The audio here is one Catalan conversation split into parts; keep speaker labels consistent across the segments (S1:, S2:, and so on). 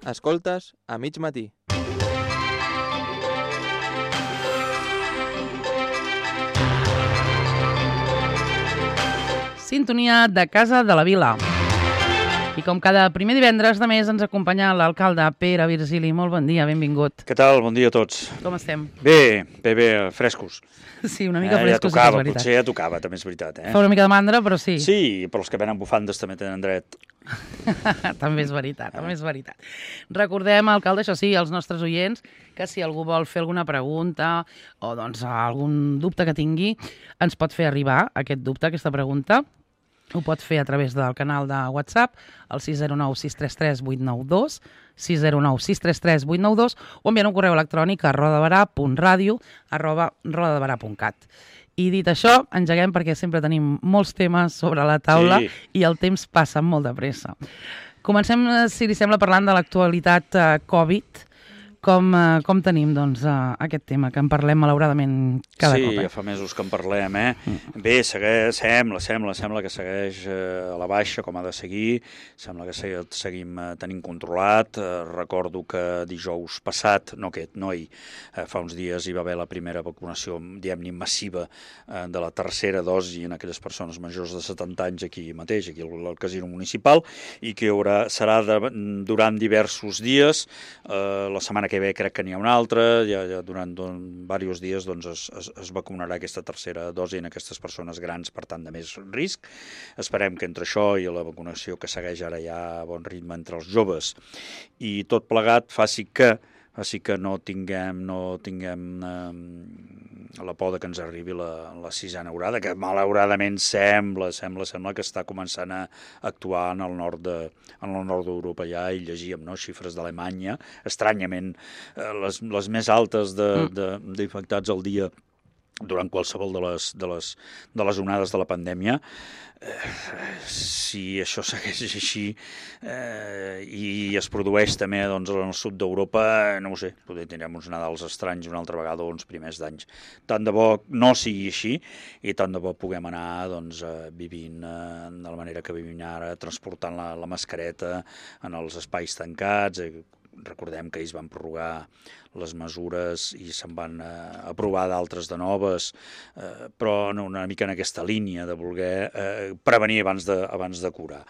S1: Escoltes a mig matí.
S2: Sintonia de Casa de la Vila. I com cada primer divendres de mes ens acompanya l'alcalde Pere Virgili. Molt bon dia, benvingut.
S3: Què tal? Bon dia a tots.
S2: Com estem?
S3: Bé, frescos.
S2: Sí, una mica frescos,
S3: ja tocava,
S2: sí que és veritat.
S3: potser ja tocava, també és veritat.
S2: Fa una mica de mandra, però sí.
S3: Sí, però els que venen bufandes també tenen dret.
S2: També és veritat, també és veritat. Recordem, alcalde, això sí, als nostres oients, que si algú vol fer alguna pregunta o doncs algun dubte que tingui, ens pot fer arribar aquest dubte, aquesta pregunta. Ho pot fer a través del canal de WhatsApp, el 609-633-892, 609-633-892, o enviant un correu electrònic a rodabarà.radio@rodabarà.cat. I dit això, engeguem perquè sempre tenim molts temes sobre la taula i el temps passa molt de pressa. Comencem, si li sembla, parlant de l'actualitat Covid. Com tenim, doncs, aquest tema, que en parlem malauradament cada cop?
S3: Sí, ja fa mesos que en parlem, Bé, sembla que segueix a la baixa, com ha de seguir. Sembla que seguim tenint controlat. Recordo que dijous passat, no ahir, fa uns dies hi va haver la primera vacunació, diguem-ne, massiva de la tercera dosi en aquelles persones majors de 70 anys aquí mateix, aquí al casino municipal, i que serà durant diversos dies. La setmana que ve crec que n'hi ha una altra, ja durant diversos dies doncs, es vacunarà aquesta tercera dosi en aquestes persones grans, per tant, de més risc. Esperem que entre això i la vacunació que segueix ara ja a bon ritme entre els joves i tot plegat faci que no tinguem la por que ens arribi la sisena onada, que malauradament sembla que està començant a actuar en el nord d'Europa ja, i llegíem xifres d'Alemanya, estranyament les més altes d'infectats al dia durant qualsevol de les onades de la pandèmia. Si això segueix així i es produeix també doncs, en el sud d'Europa, no ho sé, potser tindrem uns Nadals estranys una altra vegada o uns primers d'anys. Tant de bo no sigui així i tant de bo puguem anar doncs, vivint de la manera que vivim ara, transportant la mascareta en els espais tancats. Recordem que ells van prorrogar les mesures i se'n van aprovar d'altres de noves, però una mica en aquesta línia de voler prevenir abans de curar.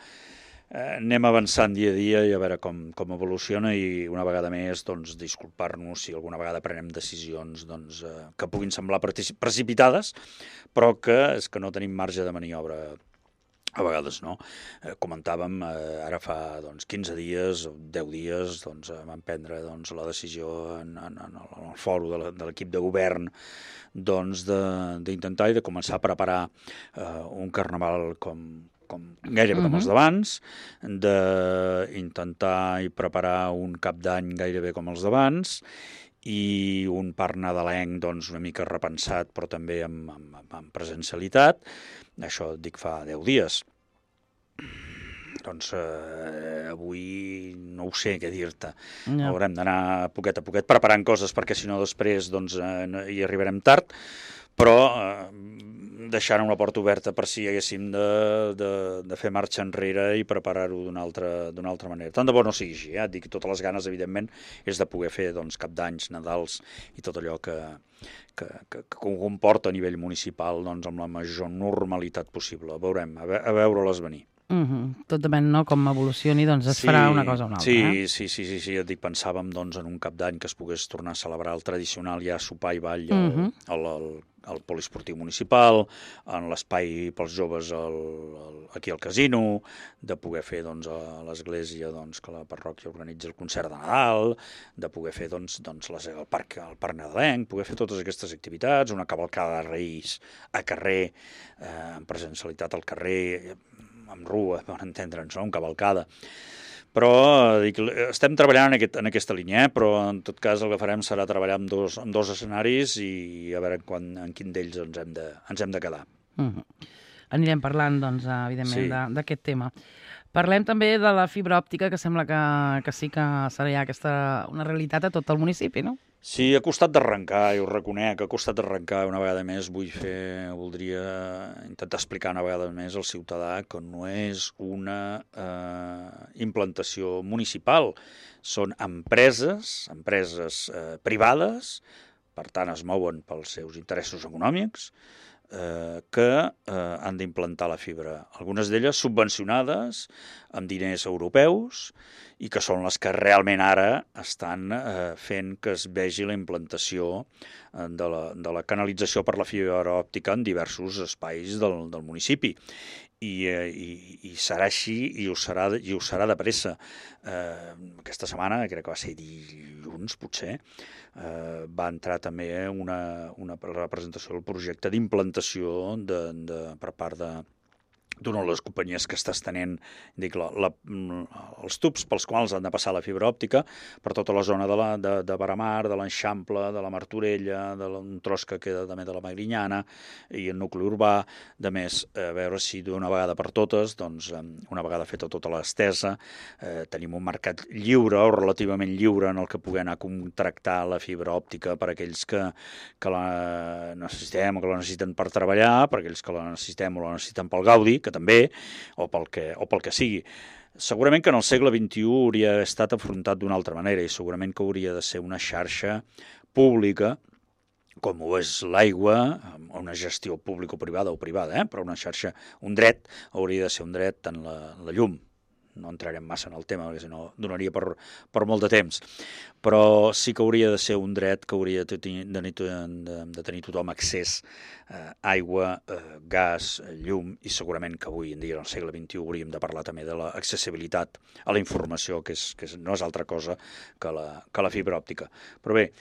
S3: Anem avançant dia a dia i a veure com evoluciona, i una vegada més doncs, disculpar-nos si alguna vegada prenem decisions doncs, que puguin semblar precipitades, però que és que no tenim marge de maniobra. A vegades no. Comentàvem, ara fa 15 dies, 10 dies, vam prendre la decisió en el fòrum de l'equip de govern d'intentar i de començar a preparar un carnaval gairebé com els d'abans, d'intentar i preparar un cap d'any gairebé com els d'abans, i un parc nadalenc una mica repensat, però també amb presencialitat. Això et dic fa 10 dies. Avui no ho sé què dir-te. Haurem d'anar poquet a poquet preparant coses, perquè si no després hi arribarem tard, però deixant una porta oberta per si haguéssim de fer marxa enrere i preparar-ho d'una altra manera. Tant de bo no sigui així, et dic, totes les ganes, evidentment, és de poder fer cap d'anys, Nadals i tot allò que comporta a nivell municipal amb la major normalitat possible. Veurem, a veure-les venir.
S2: Tot depèn, no?, com evolucioni, doncs es farà una cosa o una altra.
S3: Sí, et dic, pensàvem en un cap d'any que es pogués tornar a celebrar el tradicional ja sopar i ball al poliesportiu municipal, en l'espai pels joves aquí al casino, de poder fer a l'església que la parròquia organitza el concert de Nadal, de poder fer el parc nadalenc, poder fer totes aquestes activitats, una cavalcada de Reis a carrer, amb presencialitat al carrer, amb rua, per entendre'ns, una cavalcada. Però estem treballant en aquesta línia, però en tot cas el que farem serà treballar amb dos escenaris i a veure en quin d'ells ens hem de quedar.
S2: Anirem parlant, evidentment, d'aquest tema. Parlem també de la fibra òptica, que sembla que sí que serà ja una realitat a tot el municipi, no?
S3: Sí, ha costat d'arrencar, i ho reconec, ha costat d'arrencar una vegada més. Voldria intentar explicar una vegada més al ciutadà que no és una implantació municipal, són empreses privades, per tant es mouen pels seus interessos econòmics, que han d'implantar la fibra. Algunes d'elles subvencionades amb diners europeus i que són les que realment ara estan fent que es vegi la implantació de la canalització per la fibra òptica en diversos espais del municipi. I serà així i ho serà de pressa. Aquesta setmana, crec que va ser dilluns potser, va entrar també una representació del projecte d'implantació per part d'una de les companyies que està estenent els tubs pels quals han de passar la fibra òptica per tota la zona de Baramar, de l'Eixample, de la Martorella, d'un tros que queda també de la Magrinyana i el nucli urbà. De més, a veure si d'una vegada per totes, doncs, una vegada feta tota l'estesa, tenim un mercat lliure o relativament lliure en el que pugui anar a contractar la fibra òptica per aquells que la necessitem o que la necessiten per treballar, per aquells que la necessitem o la necessiten pel gaudi, que també, o pel que sigui. Segurament que en el segle XXI hauria estat afrontat d'una altra manera i segurament que hauria de ser una xarxa pública, com ho és l'aigua, una gestió pública o privada, però una xarxa, un dret, hauria de ser un dret en la llum. No entrarem massa en el tema, perquè si no donaria per molt de temps. Però sí que hauria de ser un dret que hauria de tenir tothom accés a aigua, gas, llum, i segurament que avui en dia, en el segle XXI, hauríem de parlar també de l'accessibilitat a la informació, que no és altra cosa que la fibra òptica. Però bé,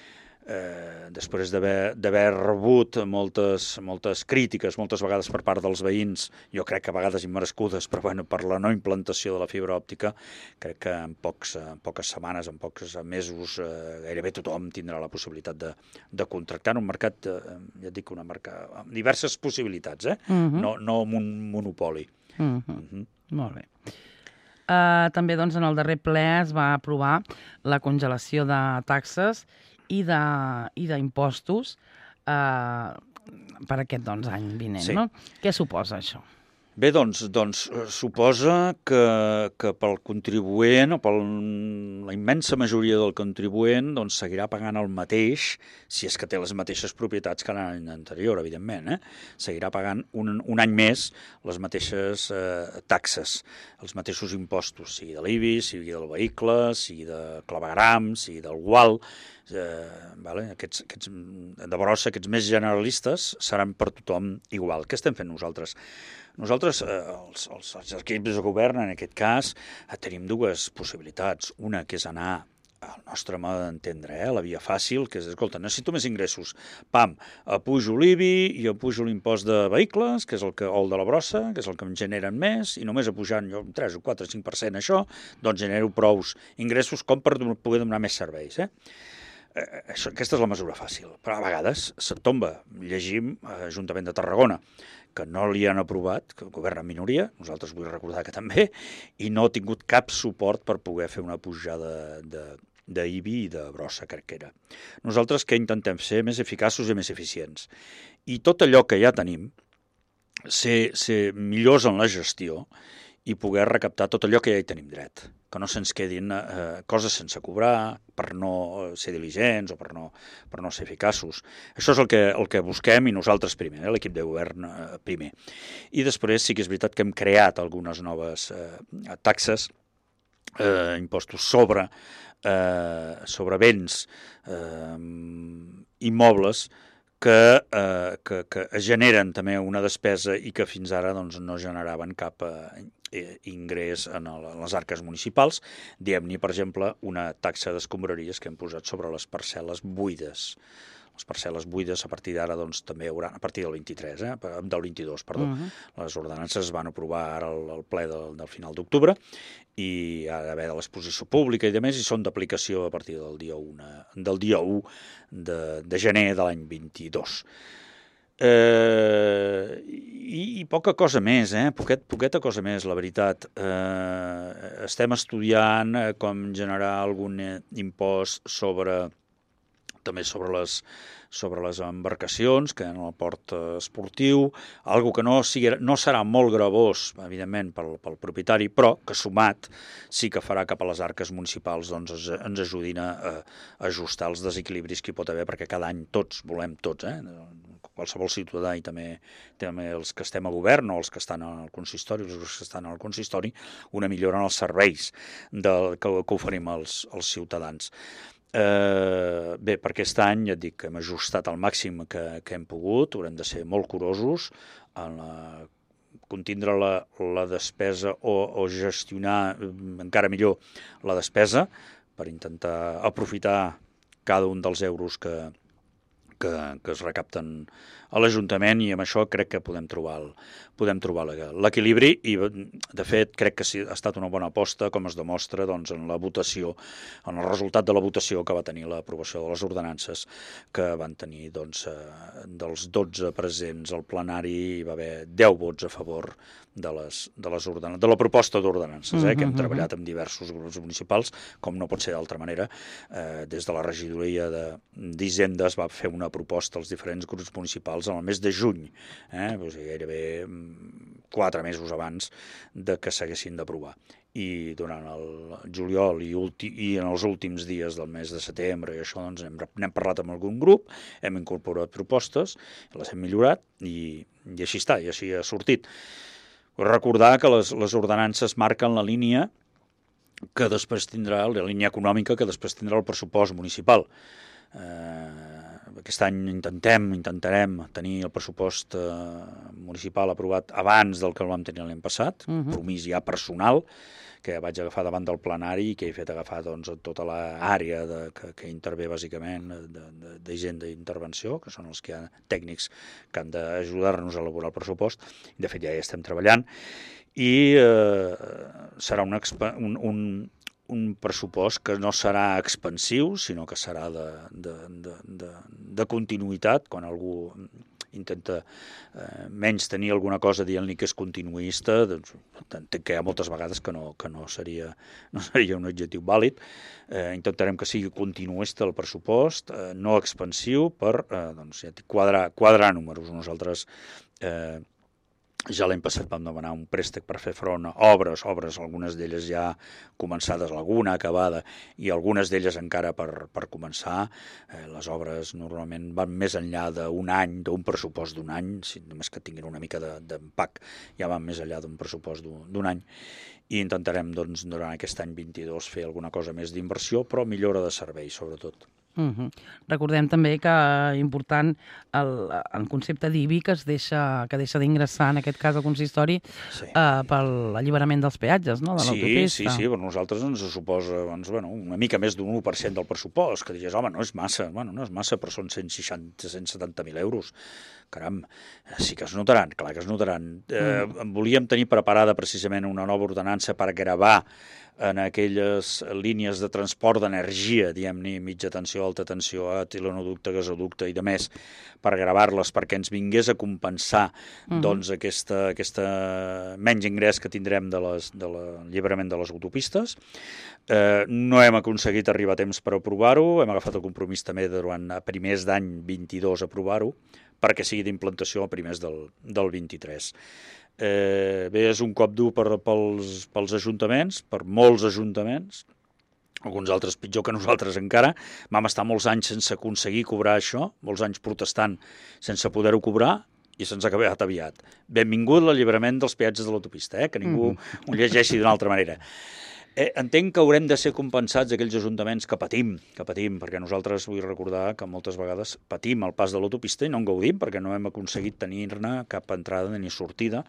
S3: després d'haver rebut moltes crítiques, moltes vegades per part dels veïns, jo crec que a vegades immerescudes, però bueno, per la no implantació de la fibra òptica, crec que en poques setmanes, en pocs mesos, gairebé tothom tindrà la possibilitat de contractar en un mercat, ja et dic, amb diverses possibilitats, no amb un monopoli.
S2: Molt bé. També doncs, en el darrer ple es va aprovar la congelació de taxes i d'impostos per aquest any vinent. Sí. No? Què suposa això?
S3: Bé, doncs suposa que pel contribuent o per la immensa majoria del contribuent doncs, seguirà pagant el mateix, si és que té les mateixes propietats que l'any anterior, evidentment. Seguirà pagant un any més les mateixes taxes, els mateixos impostos, sigui de l'IBI, sigui del vehicle, sigui de clavegram, sigui del gual. Aquests de brossa, aquests més generalistes, seran per tothom igual. Què estem fent nosaltres? Nosaltres, els equips de govern, en aquest cas, tenim dues possibilitats. Una, que és anar al nostre mode d'entendre, la via fàcil, que és, escolta, necessito més ingressos. Pam, apujo l'IBI i apujo l'impost de vehicles, que és o el de la brossa, que és el que em generen més, i només apujant jo un 3 o 4 o 5% això, doncs genero prous ingressos com per poder donar més serveis. Aquesta és la mesura fàcil, però a vegades se't tomba. Llegim a l'Ajuntament de Tarragona que no li han aprovat, que governa en minoria, nosaltres vull recordar que també, i no ha tingut cap suport per poder fer una pujada d'IBI i de brossa, crec que era. Nosaltres què intentem? Ser més eficaços i més eficients. I tot allò que ja tenim, ser millors en la gestió i poder recaptar tot allò que ja hi tenim dret, que no se'ns quedin coses sense cobrar, per no ser diligents o per no ser eficaços. Això és el que busquem i nosaltres primer, l'equip de govern primer. I després sí que és veritat que hem creat algunes noves taxes, impostos sobre béns immobles que generen també una despesa i que fins ara doncs, no generaven cap ingrés en les arques municipals. Diem-ne, per exemple, una taxa d'escombraries que hem posat sobre les parcel·les buides. Les parcel·les buides a partir d'ara doncs, també haurà, a partir del 22, perdó. Les ordenances es van aprovar ara al ple del final d'octubre i ha d'haver de l'exposició pública i demés, i són d'aplicació a partir del dia 1 de gener de l'any 22. I poca cosa més, poqueta cosa més, la veritat. Estem estudiant com generar algun impost sobre també sobre les embarcacions, que en el port esportiu, algo que no serà molt gravós, evidentment, pel propietari, però que sumat sí que farà cap a les arques municipals doncs, ens ajudin a ajustar els desequilibris que hi pot haver, perquè cada any volem tots, qualsevol ciutadà i també els que estem a govern o els que estan al consistori, una millora en els serveis que oferim als ciutadans. Bé, per aquest any, ja et dic, hem ajustat al màxim que hem pogut, haurem de ser molt curosos en contindre la despesa o gestionar encara millor la despesa per intentar aprofitar cada un dels euros que es recapten a l'Ajuntament, i amb això crec que podem trobar l'equilibri, i de fet crec que ha estat una bona aposta, com es demostra doncs, en la votació, en el resultat de la votació que va tenir l'aprovació de les ordenances, que van tenir doncs, dels 12 presents al plenari, hi va haver 10 vots a favor de la proposta d'ordenances, que hem treballat amb diversos grups municipals, com no pot ser d'altra manera. Des de la regidoria d'Hisenda es va fer una proposta als diferents grups municipals en el mes de juny, gairebé 4 mesos abans de que s'haguessin d'aprovar. I durant el juliol i en els últims dies del mes de setembre i això, doncs, n'hem parlat amb algun grup, hem incorporat propostes, les hem millorat i així està, i així ha sortit. Vull recordar que les ordenances marquen la línia que després tindrà, la línia econòmica que després tindrà el pressupost municipal. Aquest any intentarem tenir el pressupost municipal aprovat abans del que el vam tenir l'any passat, compromís ja personal, que vaig agafar davant del plenari i que he fet agafar doncs, tota l'àrea que intervé bàsicament d'Hisenda i Intervenció, que són els que hi ha tècnics que han d'ajudar-nos a elaborar el pressupost. De fet, ja hi estem treballant, i serà un pressupost que no serà expansiu, sinó que serà de continuïtat. Quan algú intenta menys tenir alguna cosa dient-li que és continuista, doncs entenc que hi ha moltes vegades que no seria un objectiu vàlid. Intentarem que sigui continuista el pressupost, no expansiu, per quadrar números. Nosaltres ja l'any passat vam demanar un préstec per fer front a obres, algunes d'elles ja començades, alguna acabada, i algunes d'elles encara per començar. Les obres normalment van més enllà d'un any, d'un pressupost d'un any, si només que tinguin una mica d'empac, ja van més enllà d'un pressupost d'un any. I intentarem, doncs, durant aquest any 22 fer alguna cosa més d'inversió, però millora de servei, sobretot.
S2: Recordem també que important el concepte d'IBI que deixa d'ingressar, en aquest cas, al consistori, per l'alliberament dels peatges, no?, de l'autopista.
S3: Sí, per nosaltres ens suposa una mica més d'un 1% del pressupost, que dius, home, no és massa, però són 170.000 euros. Caram, sí que es notaran, clar que es notaran. Volíem tenir preparada precisament una nova ordenança per gravar en aquelles línies de transport d'energia, diguem-ne, mitja tensió, alta tensió, etilenoducte, gasoducte i de més, per gravar-les perquè ens vingués a compensar doncs aquesta menys ingrés que tindrem de l'alliberament de les autopistes. No hem aconseguit arribar a temps per aprovar-ho, hem agafat el compromís també durant a primers d'any 22 aprovar-ho, perquè sigui d'implantació a primers del 23. Bé, és un cop dur pels ajuntaments, per molts ajuntaments, alguns altres pitjor que nosaltres encara. Vam estar molts anys sense aconseguir cobrar això, molts anys protestant sense poder-ho cobrar, i se'ns ha acabat aviat. Benvingut l'alliberament dels peatges de l'autopista, que ningú ho llegeixi d'una altra manera. Entenc que haurem de ser compensats aquells ajuntaments que patim, perquè nosaltres vull recordar que moltes vegades patim el pas de l'autopista i no en gaudim perquè no hem aconseguit tenir-ne cap entrada ni sortida,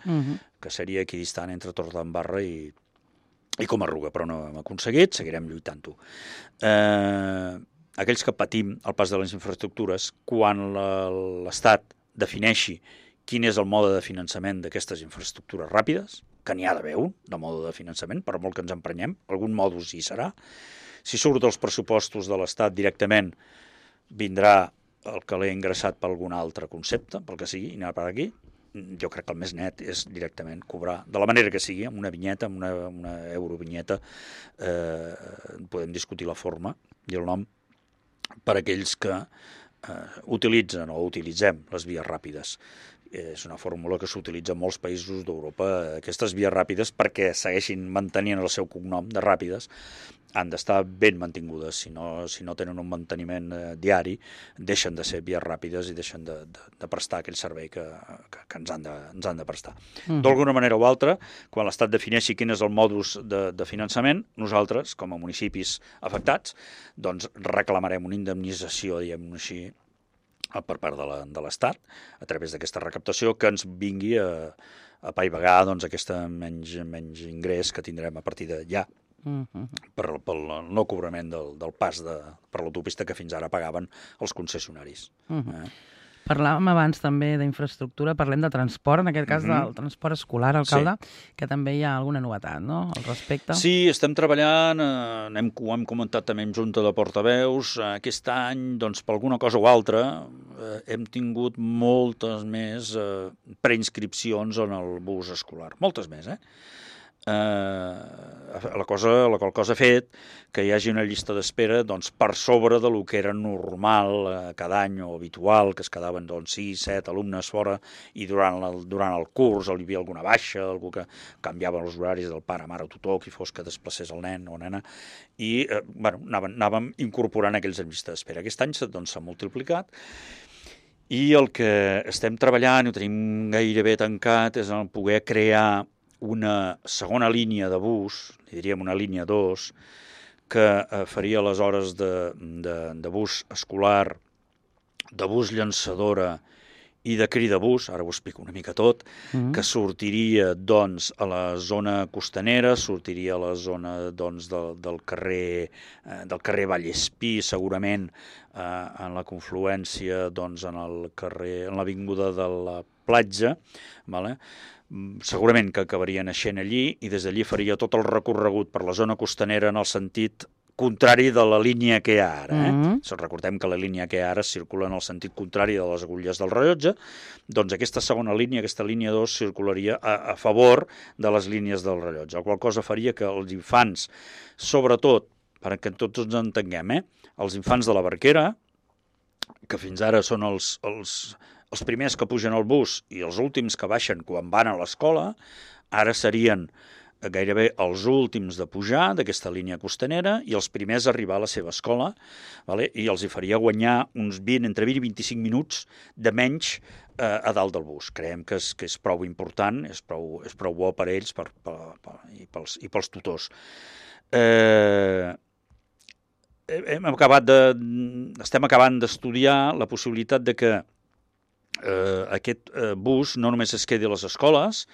S3: que seria equidistant entre Torredembarra i Comarruga, però no hem aconseguit, seguirem lluitant-ho. Aquells que patim el pas de les infraestructures, quan l'Estat defineixi quin és el mode de finançament d'aquestes infraestructures ràpides, que n'hi ha d'haver un, de mode de finançament, per molt que ens emprenyem, algun modus hi serà. Si surt dels pressupostos de l'Estat directament, vindrà el que l'he ingressat per algun altre concepte, pel que sigui, i anar per aquí. Jo crec que el més net és directament cobrar, de la manera que sigui, amb una vinyeta, amb una eurovinyeta, podem discutir la forma i el nom, per a aquells que utilitzen o utilitzem les vies ràpides. És una fórmula que s'utilitza en molts països d'Europa. Aquestes vies ràpides, perquè segueixin mantenint el seu cognom de ràpides, han d'estar ben mantingudes. Si no tenen un manteniment diari, deixen de ser vies ràpides i deixen de prestar aquell servei que ens han de prestar. D'alguna manera o altra, quan l'Estat defineixi quin és el modus de finançament, nosaltres, com a municipis afectats, doncs reclamarem una indemnització, diguem-ho així, per part de l'Estat, a través d'aquesta recaptació, que ens vingui a paivagar aquest menys ingrés que tindrem a partir de ja pel no cobrament del pas per l'autopista que fins ara pagaven els concessionaris.
S2: Parlàvem abans també d'infraestructura, parlem de transport, en aquest cas del transport escolar, alcalde, que també hi ha alguna novetat, no?, al respecte.
S3: Sí, estem treballant, ho hem comentat també en Junta de Portaveus, aquest any, doncs, per alguna cosa o altra, hem tingut moltes més preinscripcions en el bus escolar, moltes més, la qual cosa ha fet que hi hagi una llista d'espera per sobre de lo que era normal cada any o habitual, que es quedaven 6, 7 alumnes fora, i durant el curs hi havia alguna baixa, algú que canviava els horaris del pare, mare o tutor, qui fos que desplacés el nen o nena, i anàvem incorporant aquells en llista d'espera. Aquest any s'ha multiplicat, i el que estem treballant, i ho tenim gairebé tancat, és el poder crear una segona línia de bus, li diríem una línia 2, que faria les hores de bus escolar, de bus llançadora i de cridabús, ara ho explico una mica tot, que sortiria a la zona costanera, sortiria a la zona del carrer Vallespí, segurament en la confluència en l'avinguda de la Platja, vale? Segurament que acabaria naixent allí, i des d'allí faria tot el recorregut per la zona costanera en el sentit contrari de la línia que hi ha ara. Recordem que la línia que hi ha ara circula en el sentit contrari de les agulles del rellotge, doncs aquesta segona línia, aquesta línia 2, circularia a favor de les línies del rellotge, la qual cosa faria que els infants, sobretot, perquè tots ens entenguem, els infants de la Barquera, que fins ara són els primers que pugen al bus i els últims que baixen quan van a l'escola, ara serien gairebé els últims de pujar d'aquesta línia costanera i els primers a arribar a la seva escola, i els hi faria guanyar uns entre 20 i 25 minuts de menys a dalt del bus. Creiem que és prou important, és prou bo per ells i pels tutors. Estem acabant d'estudiar la possibilitat de que aquest bus no només es quedi a les escoles,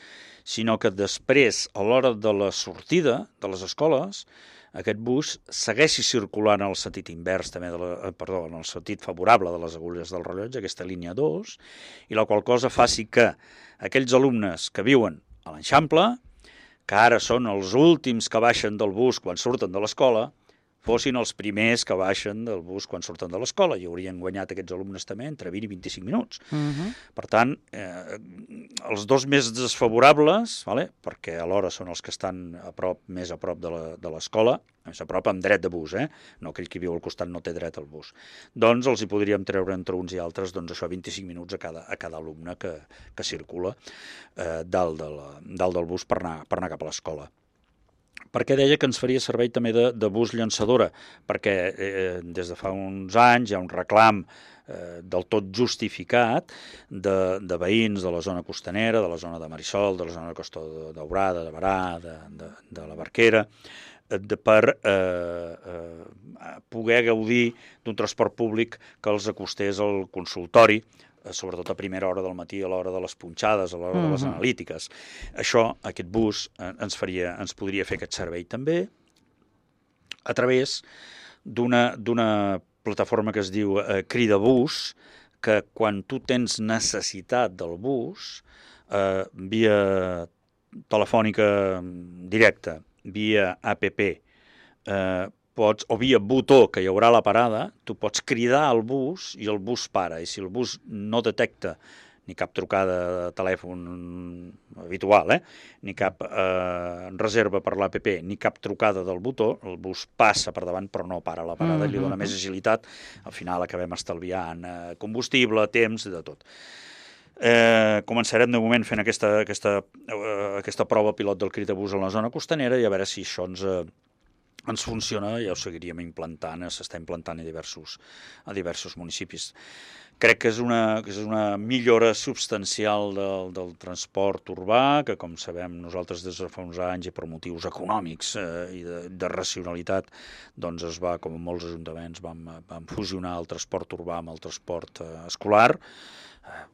S3: sinó que després, a l'hora de la sortida de les escoles, aquest bus segueixi circulant en el sentit invers, també en el sentit favorable de les agulles del rellotge, aquesta línia 2, i la qual cosa faci que aquells alumnes que viuen a l'Eixample, que ara són els últims que baixen del bus quan surten de l'escola, fossin els primers que baixen del bus quan surten de l'escola, i haurien guanyat aquests alumnes també entre 20 i 25 minuts. Per tant, els dos més desfavorables, perquè alhora són els que estan més a prop de l'escola, més a prop amb dret de bus, no aquell que viu al costat no té dret al bus, doncs els hi podríem treure entre uns i altres 25 minuts a cada alumne que circula dalt del bus per anar cap a l'escola. Per què deia que ens faria servei també de bus llançadora? Perquè des de fa uns anys hi ha un reclam del tot justificat de veïns de la zona costanera, de la zona de Marisol, de la zona de Costa Daurada, de Berà, de la Barquera, per poder gaudir d'un transport públic que els acostés al consultori, sobretot a primera hora del matí, a l'hora de les punxades, a l'hora de les analítiques. Aquest bus ens podria fer aquest servei també a través d'una plataforma que es diu Cridabús, que quan tu tens necessitat del bus, via telefònica directa, via app, o via botó que hi haurà a la parada, tu pots cridar al bus i el bus para, i si el bus no detecta ni cap trucada de telèfon habitual, ni cap reserva per l'APP, ni cap trucada del botó, el bus passa per davant però no para la parada, li dona més agilitat, al final acabem estalviant combustible, temps, de tot. Començarem de moment fent aquesta prova pilot del crit a bus en la zona costanera i a veure si això ens funciona, ja ho seguiríem implantant, s'està implantant a diversos municipis. Crec que és una millora substancial del transport urbà, que com sabem nosaltres des de fa uns anys i per motius econòmics i de racionalitat, doncs es va, com en molts ajuntaments, vam fusionar el transport urbà amb el transport escolar.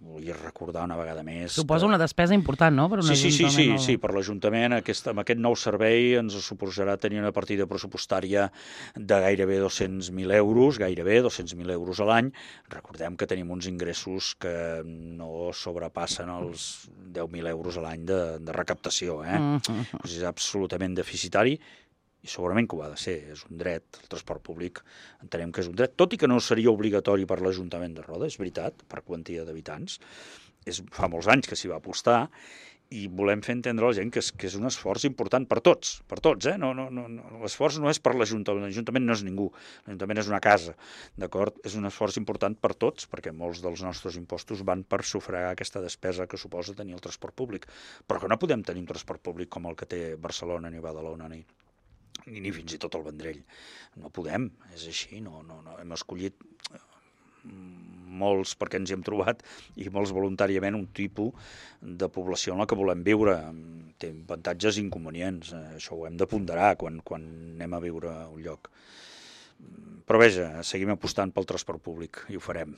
S3: Vull recordar una vegada més...
S2: Suposa una despesa important, no? Per un ajuntament.
S3: Sí, per l'Ajuntament amb aquest nou servei ens suposarà tenir una partida pressupostària de gairebé 200.000 euros, gairebé 200.000 euros a l'any. Recordem que tenim uns ingressos que no sobrepassen els 10.000 euros a l'any de recaptació. És absolutament deficitari. I segurament que ho ha de ser, és un dret, el transport públic entenem que és un dret, tot i que no seria obligatori per l'Ajuntament de Roda, és veritat, per quantia d'habitants, fa molts anys que s'hi va apostar, i volem fer entendre a la gent que és un esforç important per tots, No, l'esforç no és per l'Ajuntament no és ningú, l'Ajuntament és una casa, d'acord? És un esforç important per tots, perquè molts dels nostres impostos van per sufragar aquesta despesa que suposa tenir el transport públic, però que no podem tenir un transport públic com el que té Barcelona ni Badalona ni fins i tot el Vendrell. No podem, és així, no. Hem escollit molts, perquè ens hi hem trobat, i molts voluntàriament, un tipus de població en la que volem viure. Té avantatges i inconvenients, això ho hem de ponderar quan anem a viure a un lloc. Però veja, seguim apostant pel transport públic i ho farem.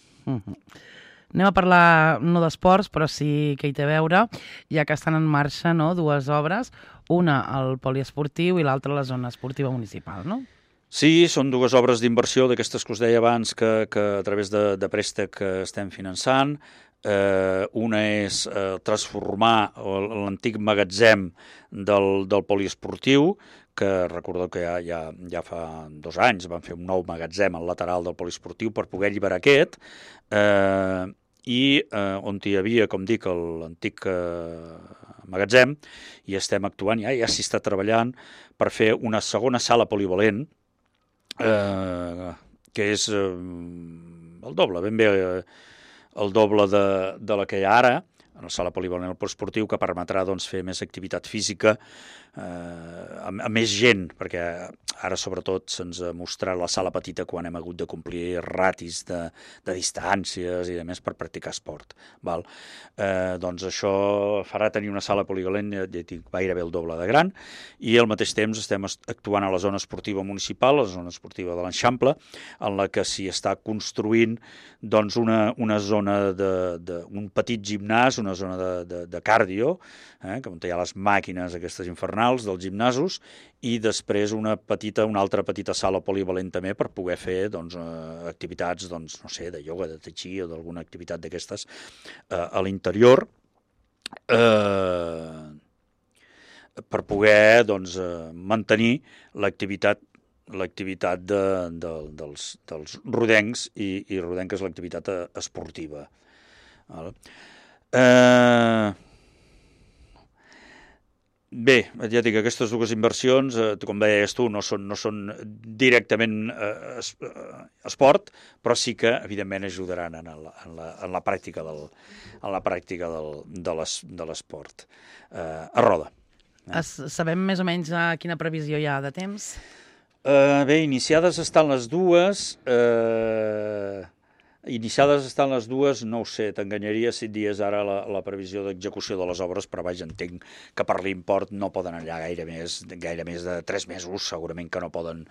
S2: Anem a parlar no d'esports, però sí que hi té a veure, ja que estan en marxa dues obres, una al poliesportiu i l'altra a la zona esportiva municipal, no?
S3: Sí, són dues obres d'inversió d'aquestes que us deia abans que a través de préstec estem finançant. Una és transformar l'antic magatzem del poliesportiu, que recordeu que ja fa 2 anys van fer un nou magatzem al lateral del poliesportiu per poder alliberar aquest, i on hi havia, com dic, l'antic magatzem, i estem actuant, ja s'hi està treballant per fer una segona sala polivalent, que és el doble, ben bé el doble de la que hi ha ara, en la sala polivalent esportiu, que permetrà fer més activitat física amb més gent, perquè ara sobretot se'ns ha mostrat la sala petita quan hem hagut de complir ratis de distàncies i de més per practicar esport. Doncs això farà tenir una sala polivalent gairebé el doble de gran, i al mateix temps estem actuant a la zona esportiva municipal, la zona esportiva de l'Eixample, en la que s'hi està construint una zona un petit gimnàs, una zona de cardio, on hi ha les màquines aquestes infernals dels gimnasos, i després una altra petita sala polivalent també per poder fer activitats, no sé, de ioga, de tai chi o d'alguna activitat d'aquestes a l'interior, per poder mantenir l'activitat dels rodencs i rodenques, l'activitat esportiva. Bé, ja dic, aquestes dues inversions, com deies tu, no són directament esport, però sí que, evidentment, ajudaran en la pràctica de l'esport a Roda.
S2: Sabem més o menys quina previsió hi ha de temps?
S3: Bé, iniciades estan les dues... no ho sé, t'enganyaria si et dies ara la previsió d'execució de les obres, però vaja, entenc que per l'import no poden anar gaire més de 3 mesos, segurament que no poden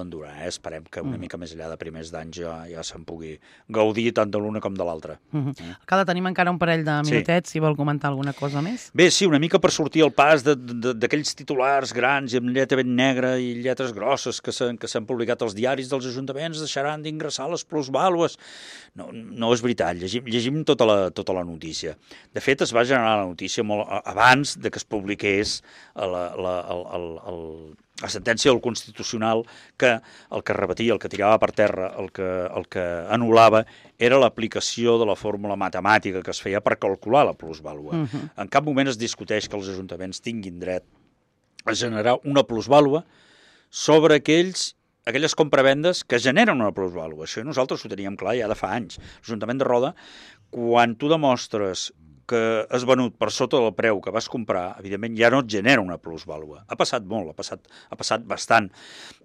S3: durar. Esperem que una mica més allà de primers d'anys ja se'n pugui gaudir tant de l'una com de l'altra.
S2: Alcalde, tenim encara un parell de minutets, si vol comentar alguna cosa més.
S3: Bé, sí, una mica per sortir al pas d'aquells titulars grans i amb lletra ben negra i lletres grosses que s'han publicat als diaris dels ajuntaments, deixaran d'ingressar les plusvàlues no és veritat, llegim tota la notícia. De fet, es va generar la notícia molt abans de que es publiqués la sentència del Constitucional, que el que repetia, el que tirava per terra, el que anul·lava, era l'aplicació de la fórmula matemàtica que es feia per calcular la plusvàlua. En cap moment es discuteix que els ajuntaments tinguin dret a generar una plusvàlua sobre aquelles compravendes que generen una plusvàlua. Això nosaltres ho teníem clar ja de fa anys. L'Ajuntament de Roda, quan tu demostres que has venut per sota del preu que vas comprar, evidentment ja no et genera una plusvàlua. Ha passat molt, ha passat bastant,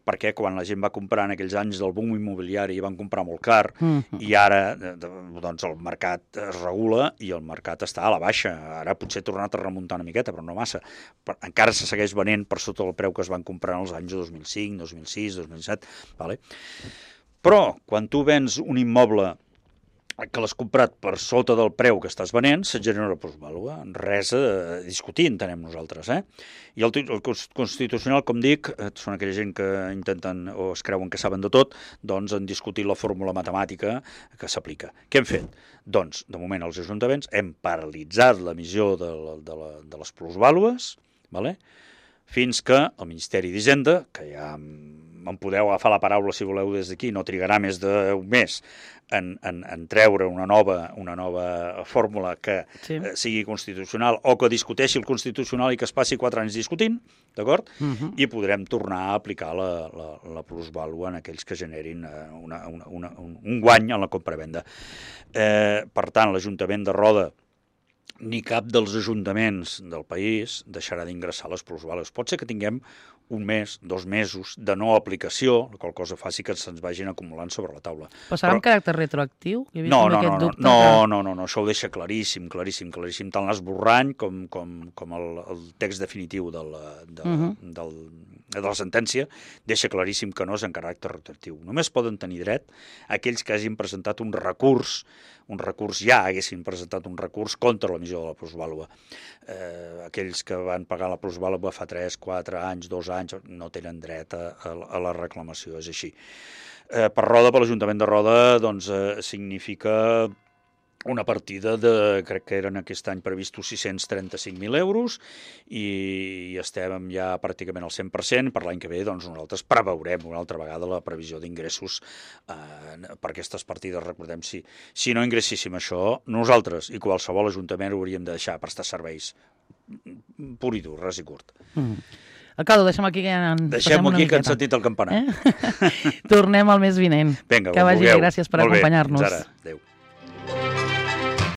S3: perquè quan la gent va comprar en aquells anys del boom immobiliari van comprar molt car, i ara doncs el mercat es regula i el mercat està a la baixa. Ara potser ha tornat a remuntar una miqueta, però no massa. Encara se segueix venent per sota del preu que es van comprar en els anys 2005, 2006, 2007. Vale? Però quan tu vens un immoble que l'has comprat per sota del preu que estàs venent, se't genera una plusvàlua. Res a discutir, entenem nosaltres. I el Constitucional, com dic, són aquella gent que intenten o es creuen que saben de tot, doncs han discutit la fórmula matemàtica que s'aplica. Què hem fet? Doncs, de moment, els ajuntaments hem paralitzat l'emissió de les plusvàlues, fins que el Ministeri d'Hisenda, que ja em podeu agafar la paraula si voleu des d'aquí, no trigarà més d'un mes en treure una nova fórmula que sigui constitucional o que discuteixi el Constitucional i que es passi 4 anys discutint, d'acord? I podrem tornar a aplicar la plusvàlua en aquells que generin un guany en la compravenda. Per tant, l'Ajuntament de Roda ni cap dels ajuntaments del país deixarà d'ingressar les plusvàlues. Pot ser que tinguem un mes, 2 mesos de no aplicació, la qual cosa faci que se'ns vagin acumulant sobre la taula.
S2: Però serà amb caràcter retroactiu?
S3: No, això ho deixa claríssim, tant l'esborrany com el text definitiu de la sentència deixa claríssim que no és en caràcter retroactiu. Només poden tenir dret aquells que hagin presentat un recurs ja haguessin presentat un recurs contra l'emissió de la plusvàlua. Aquells que van pagar la plusvàlua fa 3, 4 anys, 2 anys, no tenen dret a la reclamació, és així. Per Roda, per l'Ajuntament de Roda, doncs significa una partida crec que eren aquest any previstos 635.000 euros i estem ja pràcticament al 100%. Per l'any que ve, doncs, nosaltres preveurem una altra vegada la previsió d'ingressos per aquestes partides. Recordem, si no ingressíssim això, nosaltres i qualsevol ajuntament hauríem de deixar prestar serveis pur i dur, ras i curt.
S2: Alcalde, deixem aquí que
S3: que han sentit el campanar.
S2: Tornem al mes vinent.
S3: Vinga,
S2: que vagi bé, gràcies per acompanyar-nos.
S3: Fins ara. Adéu.